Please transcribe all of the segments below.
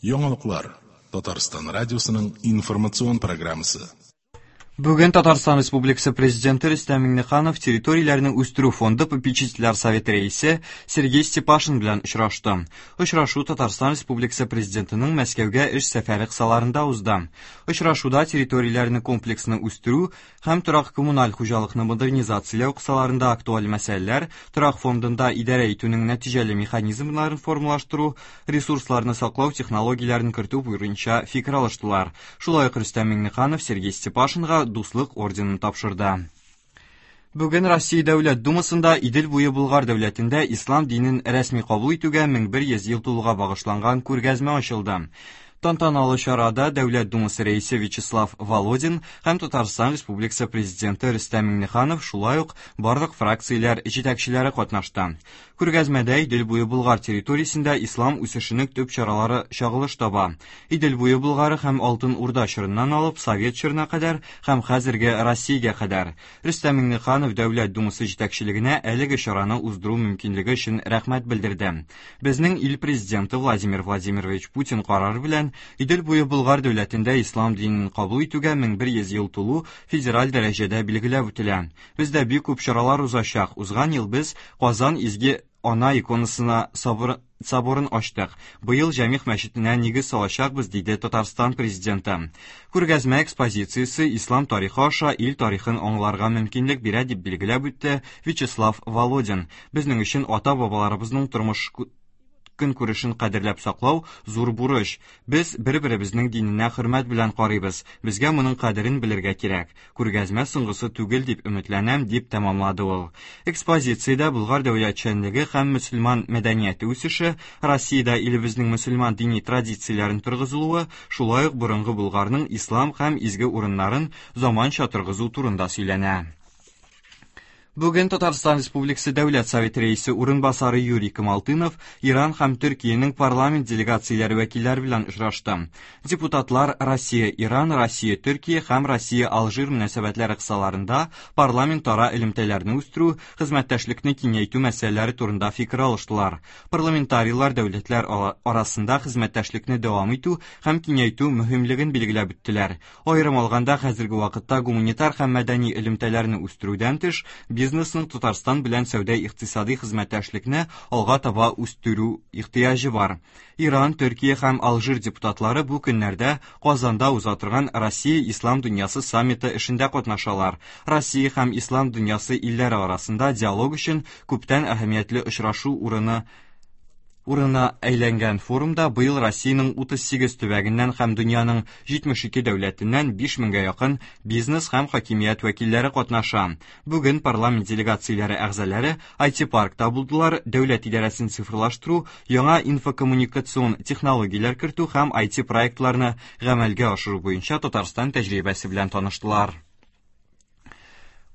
Яңалыклар. Татарстан радиосының информацион программасы. Бүген Татарстан Республикасы Президенты Рөстәм Миңнеханов территорияләрне үстерү фонды попечительләр советы рәисе Сергей Степашин белән очрашты. Очрашу Татарстан Республикасы Президентының Мәскәүгә эш сәфәре кысаларында узды. Очрашуда территорияләрне комплекслы үстерү һәм торак-коммуналь хуҗалыкны модернизацияләү кысаларында актуаль мәсьәләләр, торак фондында идарә итүнең нәтиҗәле механизмнарын формалаштыру, ресурсларны саклау технологияләрен кертү буенча фикер алыштылар. Шулай ук Рөстәм Миңнеханов Сергей Степашинга Дуслык орденын тапшырды. Бүген Россия Дәүләт Думасында Идел буе Болгар дәүләтендә ислам динен рәсми кабул итүгә 1100 ел тулуга багышланган күргәзмә ачылды. Тантаналы чарада Дәүләт Думасы рәисе Вячеслав Володин һәм Татарстан Республикасы Президенты Рөстәм Миңнеханов, шулай ук барлык фракцияләр җитәкчеләре катнашты. Күргәзмәдә Идел буе Болгар территориясендә ислам үсешенең төп чаралары чагылыш таба. Идел буе Болгары һәм Алтын Урда чорыннан алып Совет чорына кадәр һәм хәзерге Россиягә кадәр. Рөстәм Миңнеханов Дәүләт Думасы җитәкчелегенә әлеге чараны уздыру мөмкинлеге өчен рәхмәт белдерде. Безнең ил Президенты Владимир Владимирович Путин карары белән Идел буе Болгар дәүләтендә ислам динен кабул итүгә 1100 ел тулу федераль дәрәҗәдә билгеләп үтелә. Бездә бик күп чаралар узачак. Узган ел без Казан Изге Ана иконасына собор, соборын ачтык. Быел Җәмигъ мәчетенә нигез салачакбыз, диде Татарстан Президенты. Күргәзмә экспозициясе ислам тарихы аша ил тарихын аңларга мөмкинлек бирә, дип билгеләп үтте Вячеслав Володин. Безнең өчен ата-бабаларыбызның тормыш көнкүрешен кадерләп саклау зур бурыч. Без бер-беребезнең диненә хөрмәт белән карыйбыз. Безгә моның кадерен белергә кирәк. Күргәзмә соңгысы түгел дип өметләнәм, дип тәмамлады ул. Экспозициядә Болгар дәүләтчәнлеге һәм мөселман мәдәнияте үсеше, Россиядә илебезнең мөселман дини традицияләрен торгызылуы, шулай ук борынгы Болгарның ислам һәм изге урыннарын заманча торгызу турында сөйләнә. Бүген Татарстан Республикасы Дәүләт Советы Рәисе урынбасары Юрий Камалтынов Иран һәм Төркиянең парламент делегацияләре вәкилләре белән очрашты. Депутатлар Россия-Иран, Россия-Төркия һәм Россия-Алжир мөнәсәбәтләре кысаларында парламентара элемтәләрне үстерү, хезмәттәшлекне киңәйтү мәсьәләләре турында фикер алыштылар. Парламентарийлар дәүләтләр арасында хезмәттәшлекне дәвам итү һәм киңәйтү мөһимлеген билгеләп үттеләр. Аерым алганда, хәзерге вакытта гуманитар һәм мәдәни элемтәләрне үстерүдән тыш, бизнесның Татарстан белән сәүдә-икътисадый хезмәттәшлекне алга таба үстерү ихтыяҗы бар. Иран, Төркия һәм Алжир депутатлары бу көннәрдә Казанда уза торган Россия-Ислам дөньясы саммиты эшендә катнашалар. Россия һәм Ислам дөньясы илләре арасында диалог өчен күптән әһәмиятле очрашу урыны урынына әйләнгән форумда быел Россиянең 38 төбәгеннән һәм дөньяның 72 дәүләтеннән 5 меңгә якын бизнес һәм хакимият вәкилләре катнаша. Бүген парламент делегацияләре әгъзалары IT-паркта булдылар, дәүләт идарәсен цифрлаштыру, яңа инфокоммуникацион технологияләр кертү һәм IT-проектларны гамәлгә ашыру буенча Татарстан тәҗрибәсе белән таныштылар.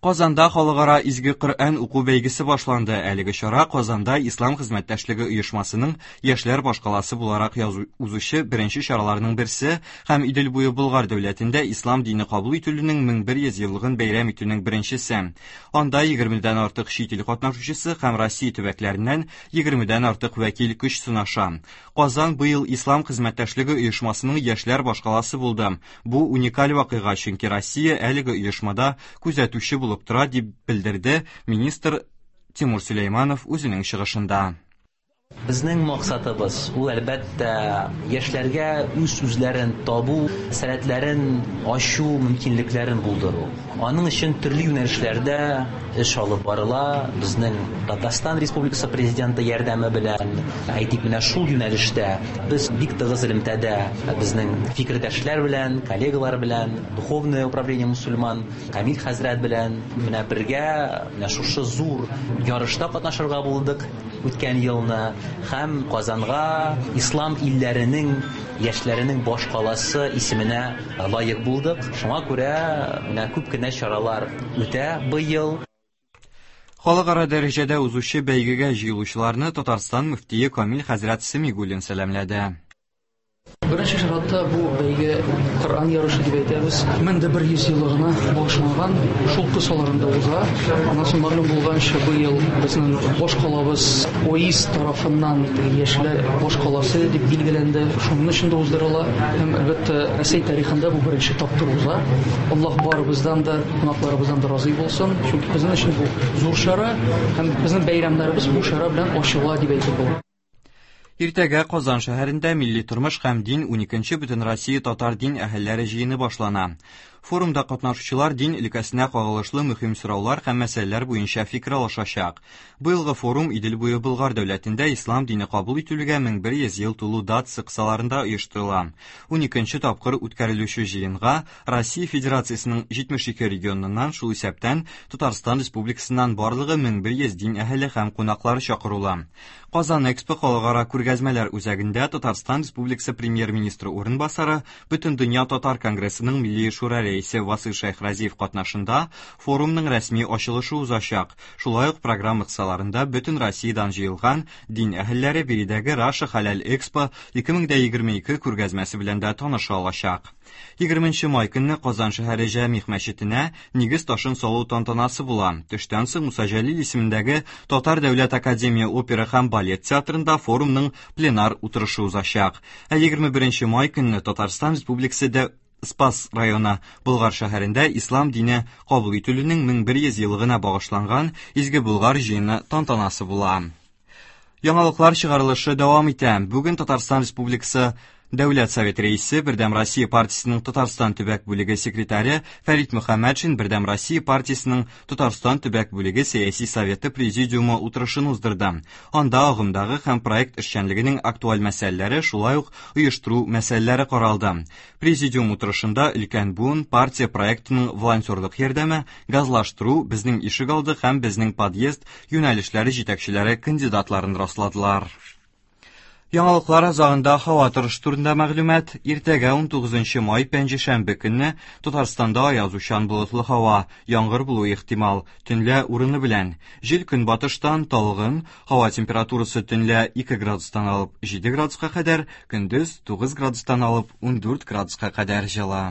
Казанда халыкара Изге Коръән уку бәйгесе башланды. Әлеге чара Казанда Ислам хезмәттәшлеге оешмасының яшьләр башкаласы буларак узучы беренче чараларның берсе һәм Идел буе Болгар дәүләтендә ислам дине кабул ителүнең 1100 еллыгын бәйрәм итүнең беренчесе. Анда 20дән артык чит ил катнашучысы һәм Россия төбәкләреннән 20дән артык вәкил көч сынаша. Казан быел Ислам хезмәттәшлеге оешмасының яшьләр башкаласы булды. Бу уникаль вакыйга, чөнки Россия әлеге оешмада күзәтүче булып тора, дип белдерде министр Тимур Сөләйманов үзенең чыгышында. Безнең максатыбыз ул, әлбәттә, яшьләргә үз-үзләрен табу, сәләтләрен ачу мөмкинлекләрен булдыру. Аның өчен төрле юнәлешләрдә эш алып барыла. Безнең Татарстан Республикасы Президенты ярдәме белән, әйтик, менә шул юнәлештә без бик тыгыз элемтәдә безнең фикердәшләр белән, коллегалар белән, Духовное управление мусульман, Камил хәзрәт белән менә бергә менә шушы зур ярышта катнашырга булдык үткән елны һәм Казанга ислам илләренең яшьләренең башкаласы исеменә лаек булдык. Шуңа күрә менә күп кенә чаралар үтә быел. Халыкара дәрәҗәдә узучы бәйгегә җыелучыларны Татарстан мөфтие Камил хәзрәт Сәмигуллин сәламләде. Беренче чиратта бу бәйге Коръән ярышы дип әйтәбез. 1100 еллыгына багышланган, шул кысаларында уза. Аннан соң мәгълүм булганча, быел безнең баш калабыз ОИС тарафыннан яшьләр баш каласы дип билгеләнде. Шуның өчен дә уздырыла. Һәм, әлбәттә, Рәсәй тарихында бу беренче тапкыр уза. Аллаһ барыбыздан да, кунакларыбыздан да разый булсын. Чөнки безнең өчен бу зур чара һәм безнең бәйрәмнәребез бу чара белән ачыла дип әйтеп була. Иртәгә Казан шәһәрендә Милли тормыш һәм дин уникенче Бөтенроссия татар дин әһелләре җыены башлана. Форумда катнашучылар дин өлкәсенә кагылышлы мөһим сораулар һәм мәсьәләләр буенча фикер алышачак. Быелгы форум Идел буе Болгар дәүләтендә ислам дине кабул ителүгә 1100 ел тулу датасы кысаларында оештырыла. Уникенче тапкыр үткәрелүче җыенга Россия Федерациясенең 72 регионыннан, шул исәптән Татарстан Республикасыннан барлыгы 1100 дин әһеле һәм кунаклары чакырыла. Казан Экспо халыкара күргәзмәләр үзәгендә Татарстан Республикасы Премьер-министры урынбасары, Бөтендөнья татар конгрессының Милли шура рәисе Васыйл Шәйхразиев катнашында форумның рәсми ачылышы узачак. Шулай ук программа кысаларында бөтен Россиядән җыелган дин әһелләре биредәге Раша Халәл Экспо 2022 күргәзмәсе белән дә таныша алачак. 20 май көнне Казан шәһәре Җәмигъ мәчетенә нигез ташын салу тантанасы була. Төштән соң Муса Җәлил исемендәге Татар дәүләт академия опера һәм балет театрында форумның пленар утырышы узачак. Ә 21 май көнне Татарстан Республикасы дә Спас районы Болгар шәһәрендә ислам дине кабул ителүнең 1100 еллыгына багышланган Изге Болгар җыены тантанасы була. Яңалыклар чыгарылышы дәвам итә. Бүген Татарстан Республикасы Дәүләт Советы рәисе, Бердәм Россия партиясенең Татарстан төбәк бүлеге секретаре Фәрит Мөхәммәтшин Бердәм Россия партиясенең Татарстан төбәк бүлеге сәяси советы президиумы утырышын уздырды. Анда агымдагы һәм проект эшчәнлегенең актуаль мәсьәләләре, шулай ук оештыру мәсьәләләре каралды. Президиум утырышында өлкән буын партия проектының волонтерлык ярдәме, газлаштыру, безнең ишегалды һәм безнең подъезд юнәлешләре җитәкчеләре кандидатларын расладылар. Яңалыклар азагында һава торышы турында мәгълүмат. Иртәгә 19 май пәнҗешәмбе көнне Татарстанда аязучан болытлы һава, яңгыр булуы ихтимал, төнлә урыны белән. Җил көнбатыштан талгын, һава температурасы төнлә 2 градустан алып 7 градуска кадәр, көндез 9 градустан алып 14 градуска кадәр җылы.